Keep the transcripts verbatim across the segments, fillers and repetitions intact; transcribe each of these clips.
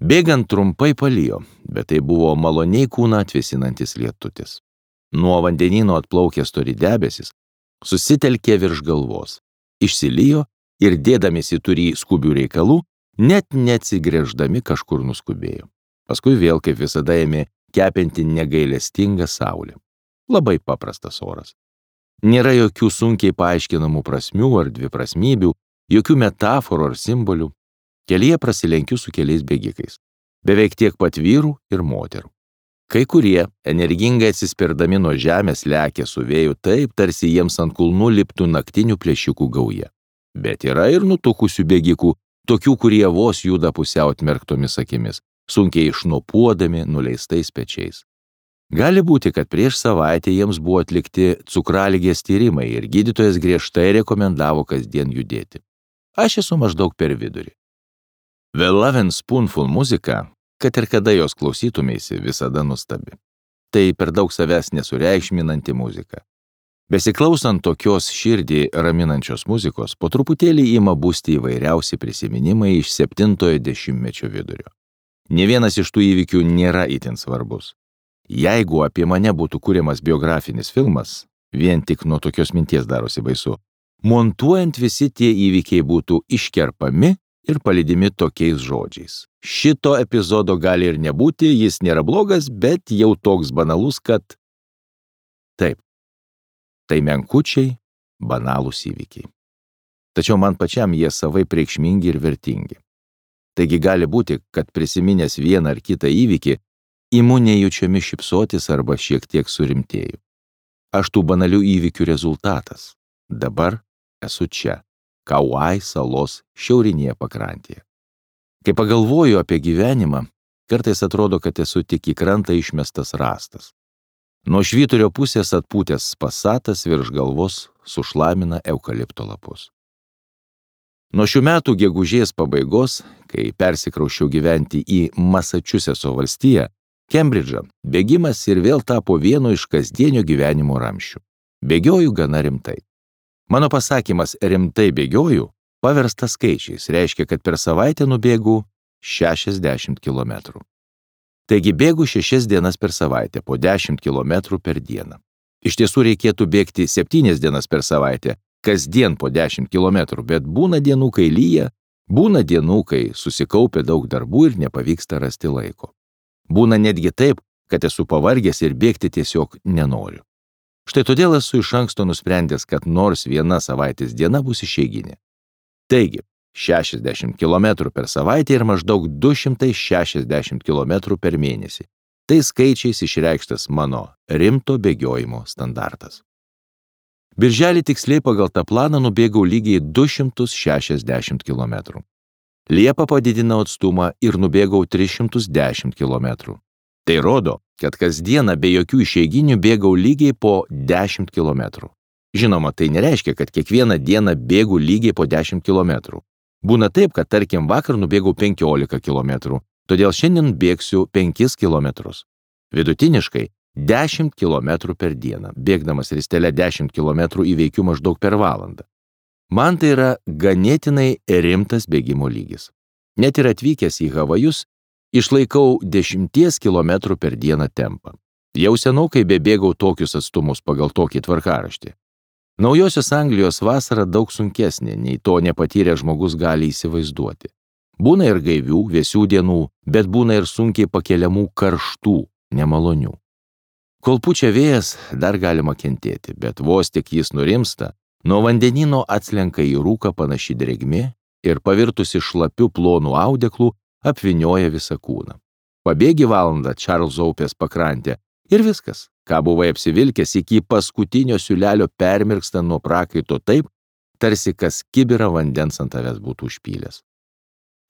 Bėgant trumpai palijo, bet tai buvo maloniai kūną atvėsinantis lietutis. Nuo vandenyno atplaukė stori debesis, susitelkė virš galvos, išsilijo ir dėdamėsi turį skubių reikalų, net neatsigręždami kažkur nuskubėjo. Paskui vėl, kaip visada, ėmė kepinti negailestingą saulę. Labai paprastas oras. Nėra jokių sunkiai paaiškinamų prasmių ar dviprasmybių, jokių metaforų ar simbolių. Kelyje prasilenkiu su keliais bėgikais. Beveik tiek pat vyrų ir moterų. Kai kurie, energingai atsispirdami nuo žemės, lekia su vėju taip, tarsi jiems ant kulnų liptų naktinių plėšikų gauja. Bet yra ir nutukusių bėgikų, tokių, kurie vos juda pusiau atmerktomis akimis, sunkiai išnopuodami nuleistais pečiais. Gali būti, kad prieš savaitę jiems buvo atlikti cukraligės tyrimai ir gydytojas griežtai rekomendavo kasdien judėti. Aš esu maždaug per vidurį. The Lovin' Spoonful muzika, kad ir kada jos klausytumėsi, visada nuostabi. Tai per daug savęs nesureikšminanti muzika. Besiklausant tokios širdį raminančios muzikos, po truputėlį ima būsti įvairiausi prisiminimai iš septintojo dešimtmečio vidurio. Nė vienas iš tų įvykių nėra itin svarbus. Jeigu apie mane būtų kuriamas biografinis filmas, vien tik nuo tokios minties darosi baisu, montuojant visi tie įvykiai būtų iškerpami ir palydimi tokiais žodžiais. Šito epizodo gali ir nebūti, jis nėra blogas, bet jau toks banalus, kad... Taip, tai menkučiai, banalūs įvykiai. Tačiau man pačiam jie savaip reikšmingi ir vertingi. Taigi gali būti, kad prisiminęs vieną ar kitą įvykį, imu nejučiami šypsotis arba šiek tiek surimtėju. Aš tų banalių įvykių rezultatas. Dabar esu čia, Kauai salos šiaurinėje pakrantėje. Kai pagalvoju apie gyvenimą, kartais atrodo, kad esu tik į krantą išmestas rąstas. Nuo švyturio pusės atpūtęs pasatas virš galvos sušlamina eukalipto lapus. Nuo šių metų gegužės pabaigos, kai persikrauščiau gyventi į Masačusetso valstiją, Kembridžą, bėgimas ir vėl tapo vienu iš kasdienio gyvenimo ramsčių. Bėgioju gana rimtai. Mano pasakymas rimtai bėgioju paversta skaičiais, reiškia, kad per savaitę nubėgu šešiasdešimt kilometrų. Taigi bėgu šešias dienas per savaitę, po dešimt kilometrų per dieną. Iš tiesų reikėtų bėgti septynias dienas per savaitę, kasdien po dešimt kilometrų, bet būna dienų, kai lyja, būna dienų, kai susikaupia daug darbų ir nepavyksta rasti laiko. Būna netgi taip, kad esu pavargęs ir bėgti tiesiog nenoriu. Štai todėl esu iš anksto nusprendęs, kad nors viena savaitės diena bus išeiginė. Taigi, šešiasdešimt kilometrų per savaitę ir maždaug du šimtai šešiasdešimt kilometrų per mėnesį. Tai skaičiais išreikštas mano rimto bėgiojimo standartas. Birželį tiksliai pagal tą planą nubėgau lygiai du šimtus šešiasdešimt kilometrų. Liepą padidinau atstumą ir nubėgau tris šimtus dešimt kilometrų. Tai rodo, kad kasdieną be jokių išeiginių bėgau lygiai po dešimt kilometrų. Žinoma, tai nereiškia, kad kiekvieną dieną bėgu lygiai po dešimt kilometrų. Būna taip, kad tarkim vakar nubėgau penkiolika kilometrų, todėl šiandien bėgsiu penkis kilometrus. Vidutiniškai dešimt kilometrų per dieną, bėgdamas ristele dešimt kilometrų įveikiu maždaug per valandą. Man tai yra ganėtinai rimtas bėgimo lygis. Net ir atvykęs į Havajus, išlaikau dešimties kilometrų per dieną tempą. Jau senokai bebėgau tokius atstumus pagal tokį tvarkaraštį. Naujosios Anglijos vasara daug sunkesnė, nei to nepatyrę žmogus gali įsivaizduoti. Būna ir gaivių, vėsių dienų, bet būna ir sunkiai pakeliamų karštų, nemalonių. Kol pučia vėjas, dar galima kentėti, bet vos tik jis nurimsta, nuo vandenyno atslenka į rūką panaši drėgmė ir pavirtusi šlapiu plonų audeklų apvinioja visą kūną. Pabėgi valandą Čarlzo upės pakrantę ir viskas, ką buvai apsivilkęs iki paskutinio siūlelio permirksta nuo prakaito taip, tarsi kas kibirą vandens ant tavęs būtų užpylęs.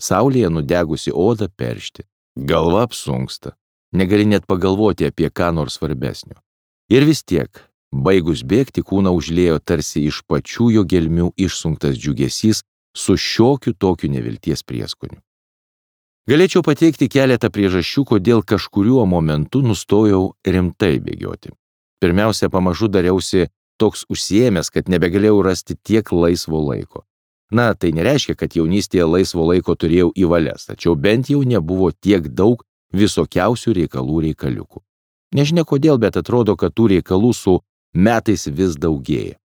Saulėje nudegusi oda peršti, galva apsunksta, negali net pagalvoti apie ką nors svarbesnio. Ir vis tiek, baigus bėgti, kūną užliejo tarsi iš pačių jo gelmių išsunktas džiugesys su šiokiu tokiu nevilties prieskoniu. Galėčiau pateikti keletą priežasčių, kodėl kažkuriuo momentu nustojau rimtai bėgioti. Pirmiausia, pamažu dariausi toks užsiėmęs, kad nebegalėjau rasti tiek laisvo laiko. Na, tai nereiškia, kad jaunystėje laisvo laiko turėjau į valias, tačiau bent jau nebuvo tiek daug visokiausių reikalų reikaliukų. Nežinia kodėl, bet atrodo, kad tų reikalų su metais vis daugėja.